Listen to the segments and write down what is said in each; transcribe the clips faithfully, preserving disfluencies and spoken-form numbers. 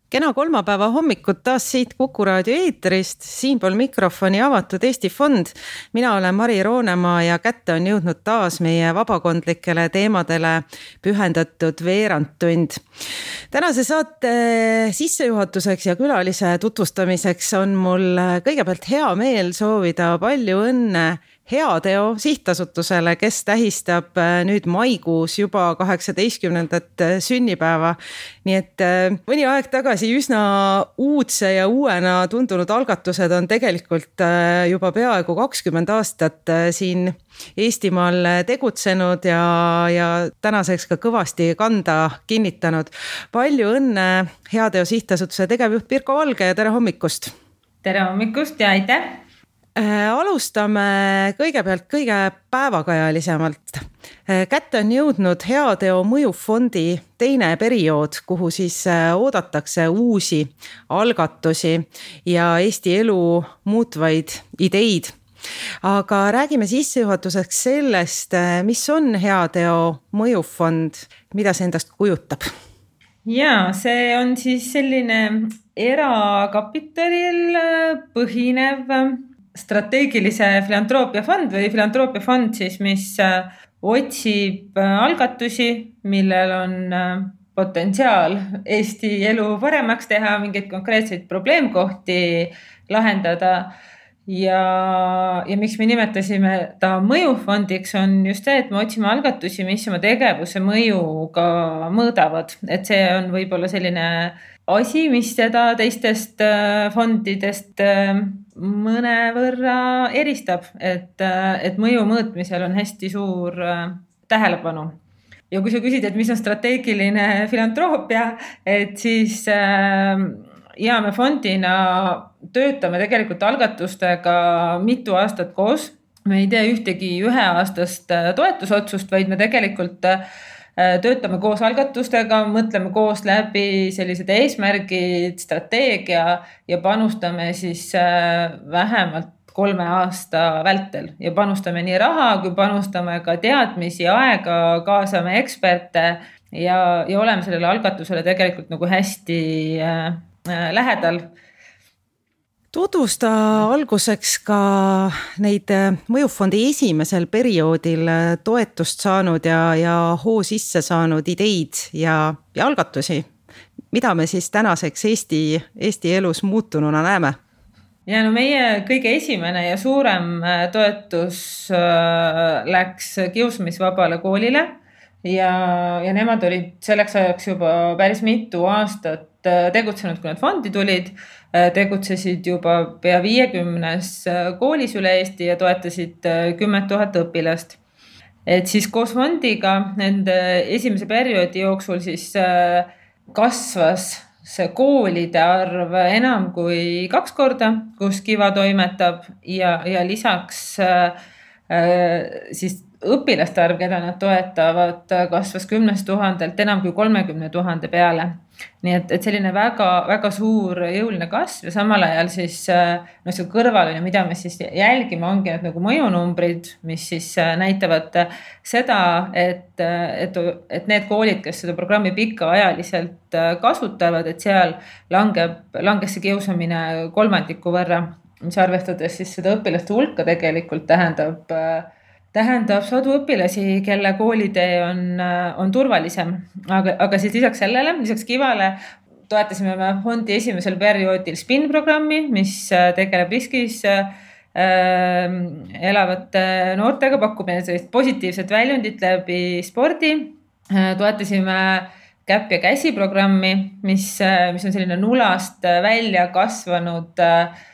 Kena kolmapäeva hommikut taas siit Kuku raadio eetrist, siinpool mikrofoni avatud Eesti Fond. Mina olen Mari Roonemaa ja kätte on jõudnud taas meie vabakondlikele teemadele pühendatud veerandtund. Tänase saate sissejuhatuseks ja külalise tutvustamiseks on mul kõigepealt hea meel soovida palju õnne Heateo sihtasutusele, kes tähistab nüüd maikuus juba kaheksateistkümnendat sünnipäeva. Nii et mõni aeg tagasi üsna uudse ja uuena tundunud algatused on tegelikult juba peaaegu kakskümmend aastat siin Eestimaal tegutsenud ja, ja tänaseks ka kõvasti kanda kinnitanud. Palju õnne Heateo sihtasutuse tegevjuht Pirko Valge ja tere hommikust! Tere hommikust ja aitäh! Alustame kõigepealt kõige päevakajalisemalt. Kätte on jõudnud Heateo mõjufondi teine periood, kuhu siis oodatakse uusi algatusi ja Eesti elu muutvaid ideid. Aga räägime sissejuhatuseks sellest, mis on Heateo mõjufond, mida see endast kujutab? Ja, see on siis selline erakapitalil põhinev strateegilise filantroopia fond või filantroopia fond siis, mis otsib algatusi, millel on potentsiaal Eesti elu paremaks teha, mingeid konkreetseid probleemkohti lahendada ja, ja miks me nimetasime ta mõjufondiks on just see, et me otsime algatusi, mis oma tegevuse mõjuga mõõdavad, et see on võib-olla selline asi, mis seda teistest fondidest mõnevõrra eristab, et, et mõju mõõtmisel on hästi suur tähelepanu. Ja kui sa küsid, et mis on strateegiline filantroopia, et siis ja me fondina töötame tegelikult algatustega mitu aastat koos. Me ei tee ühtegi üheaastast toetusotsust, vaid me tegelikult töötame koos algatustega, mõtleme koos läbi sellised eesmärgid, strateegia ja panustame siis vähemalt kolme aasta vältel ja panustame nii raha, kui panustame ka teadmisi, aega, kaasame eksperte ja, ja oleme sellele algatusele tegelikult nagu hästi äh, lähedal. Tutvusta alguseks ka neid mõjufondi esimesel perioodil toetust saanud ja, ja hoo sisse saanud ideid ja, ja algatusi. Mida me siis tänaseks Eesti, Eesti elus muutununa näeme? Ja no meie kõige esimene ja suurem toetus läks kiusamisvabale koolile ja, ja nemad olid selleks ajaks juba päris mitu aastat tegutsenud, kui nad fondi tulid, tegutsesid juba pea viiekümnes koolis üle Eesti ja toetasid kümme tuhat õpilast. Et siis koos fondiga nende esimese perioodi jooksul siis kasvas see koolide arv enam kui kaks korda, kus Kiva toimetab ja, ja lisaks siis õpilaste arv, keda nad toetavad, kasvas kümnest tuhandelt enam kui kolmekümne tuhande peale. Nii et, et selline väga, väga suur jõuline kasv ja samal ajal siis no, see kõrvaline, mida me siis jälgime, ongi need nagu mõjunumbrid, mis siis näitavad seda, et, et, et need koolid, kes seda programmi pikaajaliselt kasutavad, et seal langeb, langes see kiusamine kolmandiku võrra, mis arvestades siis seda õpilaste hulka tegelikult tähendab tähendab sadu õpilasi, kelle koolitee on, on turvalisem. Aga, aga siis lisaks sellele, lisaks Kivale toetasime me fondi esimesel perioodil SPIN-programmi, mis tegeleb riskis äh, elavate noortega, pakkub sellist positiivset väljundit läbi spordi. Toetasime Käpp ja käsi programmi, mis, mis on selline nulast välja kasvanud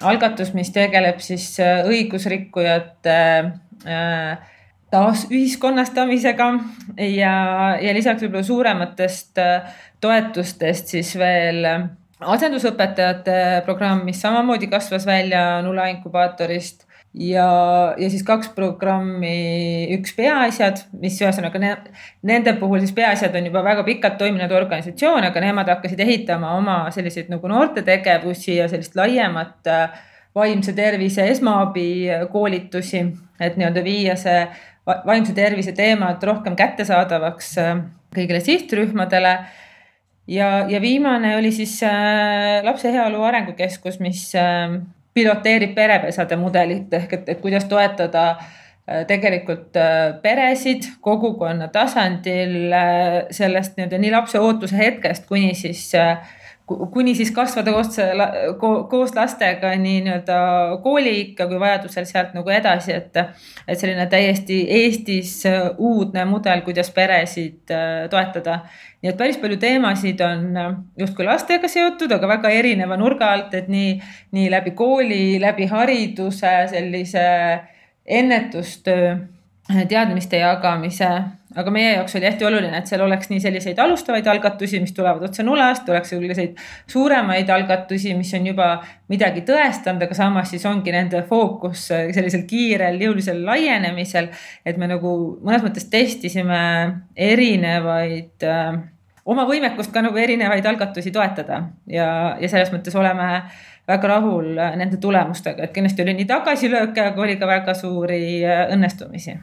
algatus, mis tegeleb siis õigusrikkujate taas ühiskonnastamisega ja, ja lisaks võib-olla suurematest toetustest siis veel asendusõpetajate programm, mis samamoodi kasvas välja Nula inkubaatorist ja, ja siis kaks programmi, üks peaasjad, mis ühesõnaga ne, nende puhul siis peaasjad on juba väga pikalt toiminud organisatsioon, aga nemad hakkasid ehitama oma selliseid nagu noorte tegevusi ja sellist laiemat vaimse tervise esmaabi koolitusi, et nii-öelda viia see vaimse tervise teemad rohkem kättesaadavaks kõigile sihtrühmadele. ja, ja viimane oli siis äh, Lapse Heaolu Arengukeskus, mis äh, piloteerib perepesade mudelit ehk et, et kuidas toetada äh, tegelikult äh, peresid kogukonna tasandil äh, sellest nii, nii lapse ootuse hetkest kuni siis äh, kuni siis kasvada koos, koos lastega nii nii-öelda kooliikka kui vajadusel sealt nagu edasi, et, et selline täiesti Eestis uudne mudel, kuidas peresid toetada. Nii et päris palju teemasid on justkui lastega seotud, aga väga erineva nurga alt, et nii, nii läbi kooli, läbi hariduse, sellise ennetustöö, teadmiste jagamise, aga meie jaoks oli hästi oluline, et seal oleks nii selliseid alustavaid algatusi, mis tulevad otse nulast, oleks selliseid suuremaid algatusi, mis on juba midagi tõestanud, aga samas siis ongi nende fookus sellisel kiirel, jõulisel laienemisel, et me nagu mõnes mõttes testisime erinevaid, oma võimekust ka nagu erinevaid algatusi toetada ja, ja selles mõttes oleme väga rahul nende tulemustega, et kindlasti oli nii tagasilööke, aga oli ka väga suuri õnnestumisi.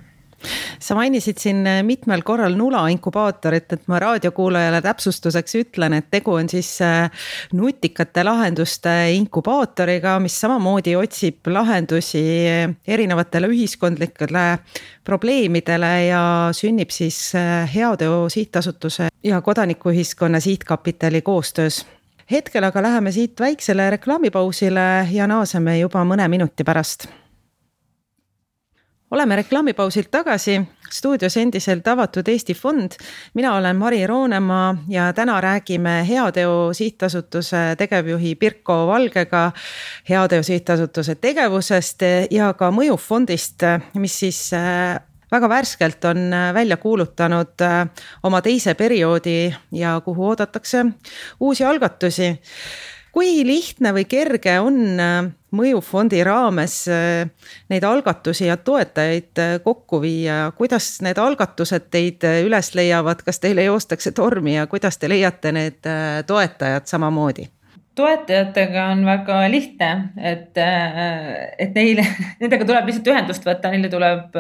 Sa mainisid siin mitmel korral nula inkubaatorit, et ma raadiokuulajale täpsustuseks ütlen, et tegu on siis nutikate lahenduste inkubaatoriga, mis samamoodi otsib lahendusi erinevatele ühiskondlikele probleemidele ja sünnib siis Heateo Sihtasutuse ja Kodanikuühiskonna Sihtkapitali koostöös. Hetkel aga läheme siit väiksele reklaamipausile ja naaseme juba mõne minuti pärast. Oleme reklaamipausilt tagasi, stuudios endiselt avatud Eesti Fond. Mina olen Mari Roonemaa ja täna räägime Heateo Sihtasutuse tegevjuhi Pirko Valgega Heateo Sihtasutuse tegevusest ja ka mõjufondist, mis siis väga värskelt on välja kuulutanud oma teise perioodi ja kuhu oodatakse uusi algatusi. Kui lihtne või kerge on mõjufondi raames neid algatusi ja toetajaid kokku viia? Kuidas need algatused teid üles leiavad? Kas teile joostakse tormi ja kuidas te leiate need toetajad samamoodi? Toetajatega on väga lihtne, et, et neile, nendega tuleb lihtsalt ühendust võtta, neile tuleb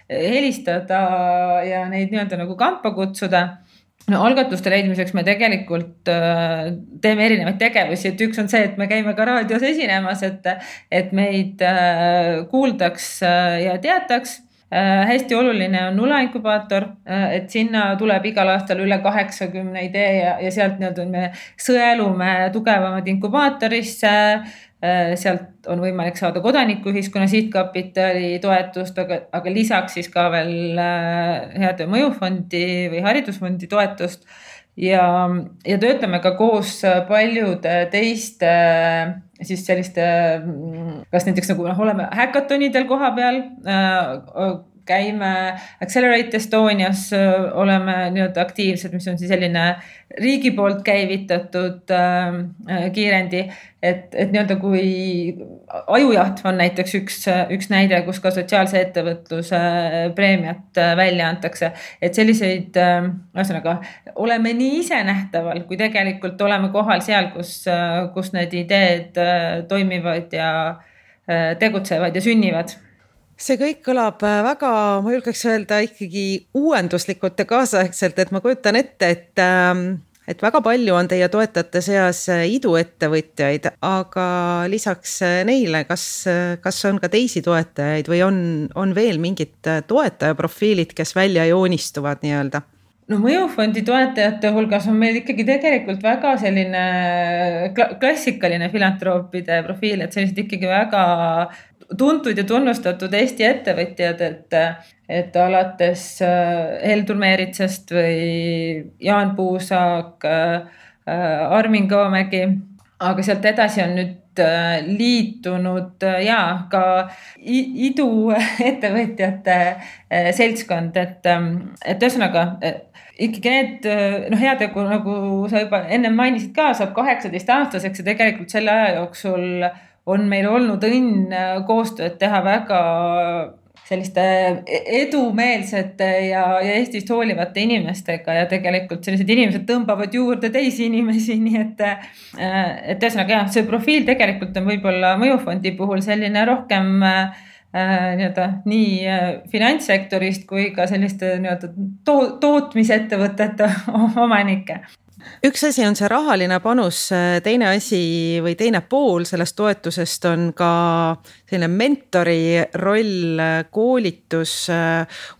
helistada ja neid nii-öelda nagu kampa kutsuda. No, algatuste leidmiseks me tegelikult äh, teeme erinevaid tegevusi, et üks on see, et me käime ka raadios esinemas, et, et meid äh, kuuldaks äh, ja teataks. Äh, hästi oluline on nula inkubaator, äh, et sinna tuleb igal aastal üle kaheksakümne idee ja, ja sealt nii-öelda me sõelume tugevamad inkubaatorisse. Sealt on võimalik saada Kodanikuühiskonna Sihtkapitali toetust, aga, aga lisaks siis ka veel Heateo mõjufondi või haridusfondi toetust ja, ja töötame ka koos paljude teiste siis selliste, kas näiteks nagu oleme häkatonidel koha peal, käime Accelerate Estonias, oleme nii-öelda aktiivsed, mis on siis selline riigi poolt käivitatud äh, kiirendi, et, et nii-öelda kui ajujaht on näiteks üks, üks näide, kus ka sotsiaalse ettevõtluse preemiat välja antakse, et selliseid, äh, ühesõnaga, oleme nii ise nähtaval, kui tegelikult oleme kohal seal, kus, kus need ideed äh, toimivad ja äh, tegutsevad ja sünnivad. See kõik kõlab väga, ma julgeks öelda ikkagi uuenduslikult ja kaasaegselt, et ma kujutan ette, et, et väga palju on teie toetajate seas iduettevõtjaid, aga lisaks neile, kas, kas on ka teisi toetajaid või on, on veel mingid toetajaprofiilid, kes välja joonistuvad nii-öelda? No mõjufondi toetajate hulgas on meil ikkagi tegelikult väga selline klassikaline filantroopide profiil, et sellised ikkagi väga tuntud ja tunnustatud Eesti ettevõtjad, et, et alates Heldur Meeritsast või Jaan Puusaak, Armin Koomägi, aga sealt edasi on nüüd liitunud ja ka iduettevõtjate seltskond, et, et ühesõnaga ikkagi need, no Heateo, nagu sa juba enne mainisid ka, saab kaheksateist aastaseks ja tegelikult selle aja jooksul on meil olnud õnn koostööd teha väga selliste edumeelsete ja, ja Eestist hoolivate inimestega ja tegelikult sellised inimesed tõmbavad juurde teisi inimesi, nii et, et ühesõnaga jah, see profiil tegelikult on võib-olla mõjufondi puhul selline rohkem nii-öelda nii finantssektorist kui ka selliste nii-öelda to- tootmisettevõtete omanikke. üks asi on see rahaline panus, teine asi või teine pool sellest toetusest on ka selline mentori roll, koolitus,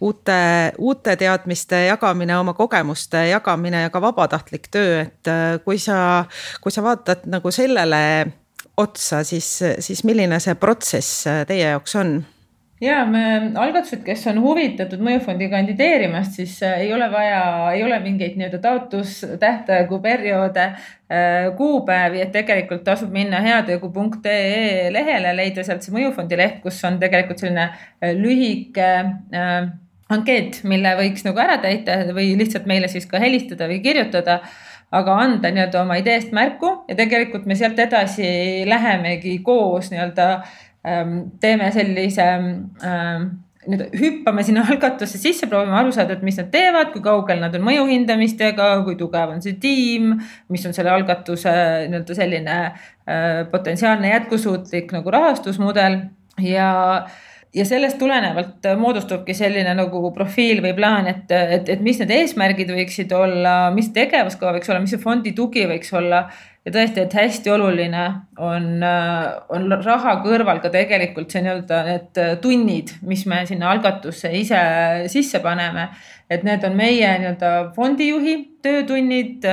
uute, uute teadmiste jagamine, oma kogemuste jagamine ja ka vabatahtlik töö, et kui sa, kui sa vaatad nagu sellele otsa, siis, siis milline see protsess teie jaoks on? Ja me algatused, kes on huvitatud mõjufondi kandideerimast, siis ei ole vaja, ei ole mingeid nii-öelda taotlustähtaegu perioode, kuupäevi, et tegelikult tasub minna heatöögu punkt ee lehele, leida sealt see mõjufondi leht, kus on tegelikult selline lühike äh, ankeet, mille võiks nagu ära täita või lihtsalt meile siis ka helistada või kirjutada, aga anda nii-öelda oma ideest märku ja tegelikult me sealt edasi lähemegi koos nii-öelda teeme sellise, nüüd hüppame sinna algatusse sisse, proovime aru saada, et mis nad teevad, kui kaugel nad on mõjuhindamistega, kui tugev on see tiim, mis on selle algatuse nii-öelda selline potentsiaalne jätkusuutlik nagu rahastusmudel ja Ja sellest tulenevalt moodustubki selline nagu profiil või plaan, et, et, et mis need eesmärgid võiksid olla, mis tegevuskava võiks olla, mis see fondi tugi võiks olla. Ja tõesti, et hästi oluline on, on raha kõrval ka tegelikult see nii-öelda need tunnid, mis me sinna algatusse ise sisse paneme. Et need on meie nii-öelda fondijuhi töötunnid.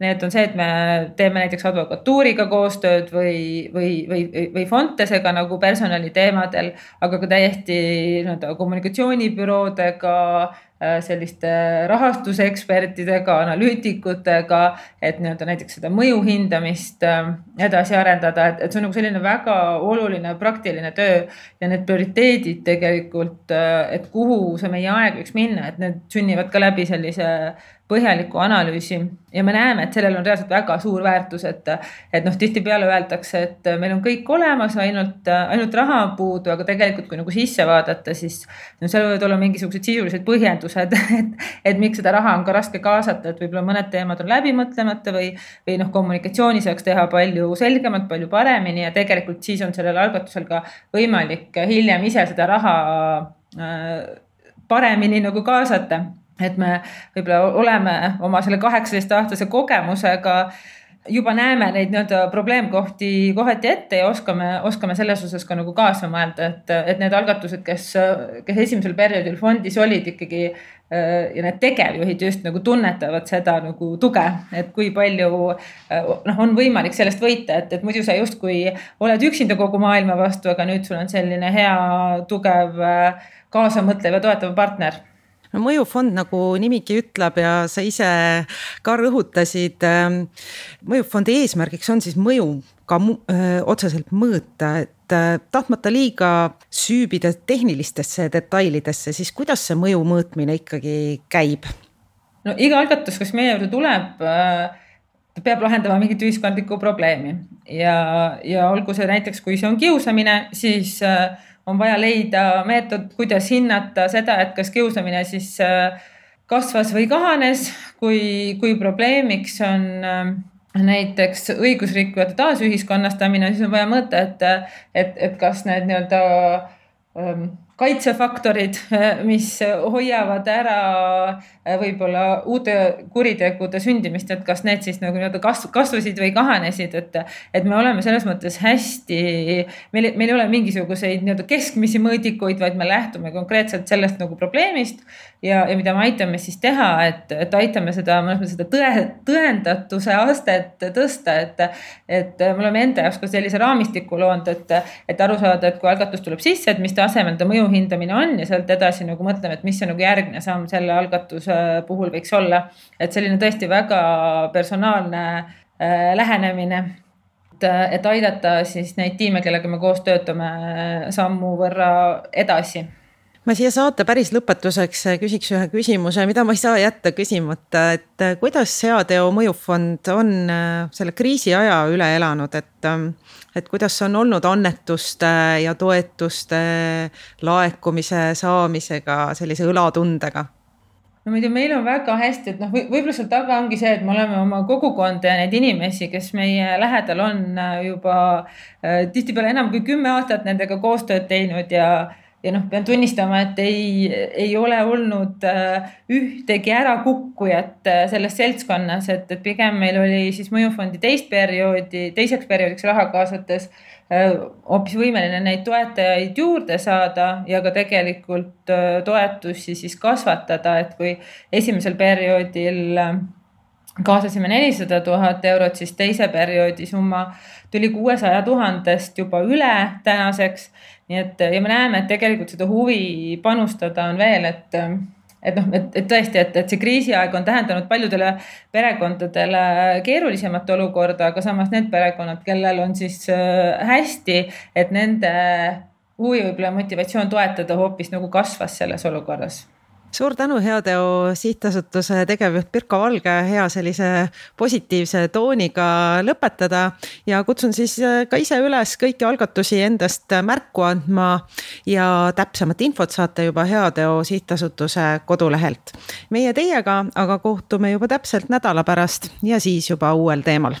Need on see, et me teeme näiteks advokatuuriga koostööd või, või, või, või Fontesega nagu personali teemadel, aga ka täiesti nii-öelda kommunikatsioonibüroodega, selliste rahastusekspertidega, analüütikutega, et nii-öelda näiteks seda mõju hindamist edasi arendada, et, et see on nagu selline väga oluline praktiline töö ja need prioriteedid tegelikult, et kuhu see meie aeg võiks minna, et need sünnivad ka läbi sellise põhjaliku analüüsi ja me näeme, et sellel on reaalselt väga suur väärtus, et, et noh, tihti peale öeldakse, et meil on kõik olemas, ainult, ainult raha puudu, aga tegelikult kui nagu sisse vaadata, siis no, seal võivad olla mingisugused sisulised põhjendused, et, et miks seda raha on ka raske kaasata, et võib-olla mõned teemad on läbi mõtlemata või, või noh, kommunikatsiooni saaks teha palju selgemalt, palju paremini ja tegelikult siis on sellel algatusel ka võimalik hiljem ise seda raha äh, paremini nagu kaasata. Et me võib-olla oleme oma selle kaheksateist aastase kogemusega juba näeme neid nii-öelda probleemkohti kohati ette ja oskame, oskame selles osas ka nagu kaasa mõelda, et, et need algatused, kes, kes esimesel perioodil fondis olid ikkagi ja need tegevjuhid just nagu tunnetavad seda nagu tuge, et kui palju noh, on võimalik sellest võita, et, et muidu sa justkui oled üksinda kogu maailma vastu, aga nüüd sul on selline hea, tugev, kaasamõtlev ja toetav partner. No, mõjufond, nagu nimigi ütleb ja sa ise ka rõhutasid, mõjufondi eesmärgiks on siis mõju ka öö, otseselt mõõta, et tahtmata liiga süübida tehnilistesse detailidesse, siis kuidas see mõju mõõtmine ikkagi käib? No iga algatus, kes meie juurde tuleb, peab lahendama mingit ühiskondlikku probleemi ja, ja olgu see näiteks, kui see on kiusamine, siis on vaja leida meetod, kuidas hinnata seda, et kas kiusamine siis kasvas või kahanes, kui, kui probleemiks on näiteks õigusrikkujate taasühiskonnastamine, siis on vaja mõõta, et, et, et kas need nii-öelda kaitsefaktorid, mis hoiavad ära võib-olla uute kuritegude sündimist, et kas need siis nagu kasvasid või kahanesid, et, et me oleme selles mõttes hästi, meil, meil ei ole mingisuguseid nii-öelda keskmisi mõõdikuid, vaid me lähtume konkreetselt sellest nagu probleemist ja, ja mida me aitame siis teha, et, et aitame seda, seda tõe, tõendatuse astet tõsta, et, et me oleme enda jaoks ka sellise raamistiku loonud, et, et aru saada, et kui algatus tuleb sisse, et mis tasemel ta mõju hindamine on ja sealt edasi nagu mõtleme, et mis see nagu järgmine samm selle algatuse puhul võiks olla. Et selline tõesti väga personaalne äh, lähenemine, et, et aidata siis neid tiime, kellega me koos töötame sammu võrra edasi. Ma siia saate päris lõpetuseks küsiks ühe küsimuse, mida ma ei saa jätta küsimata, et kuidas Heateo mõjufond on selle kriisi aja üle elanud, et, et kuidas on olnud annetuste ja toetuste laekumise saamisega sellise õlatundega? No muidu meil on väga hästi, et noh, võib-olla seal taga ongi see, et me oleme oma kogukonda ja neid inimesi, kes meie lähedal on juba tihtipeale enam kui kümme aastat nendega koostööd teinud ja ja noh, pean tunnistama, et ei, ei ole olnud ühtegi ärakukkujat selles seltskonnas, et, et pigem meil oli siis mõjufondi teist perioodi, teiseks perioodiks raha kaasates hoopis võimeline neid toetajaid juurde saada ja ka tegelikult toetusi siis kasvatada, et kui esimesel perioodil kaasasime nelisada tuhat eurot, siis teise perioodi summa tuli kuuesaja tuhandest juba üle tänaseks. Nii et, ja me näeme, et tegelikult seda huvi panustada on veel, et, et noh, et, et tõesti, et, et see kriisiaeg on tähendanud paljudele perekondadele keerulisemat olukorda, aga samas need perekonnad, kellel on siis hästi, et nende huvi võib-olla motivatsioon toetada hoopis nagu kasvas selles olukorras. Suur tänu Heateo sihtasutuse tegevjuht Pirko Valge hea sellise positiivse tooniga lõpetada ja kutsun siis ka ise üles kõiki algatusi endast märku andma ja täpsemat infot saate juba Heateo sihtasutuse kodulehelt. Meie teiega aga kohtume juba täpselt nädala pärast ja siis juba uuel teemal.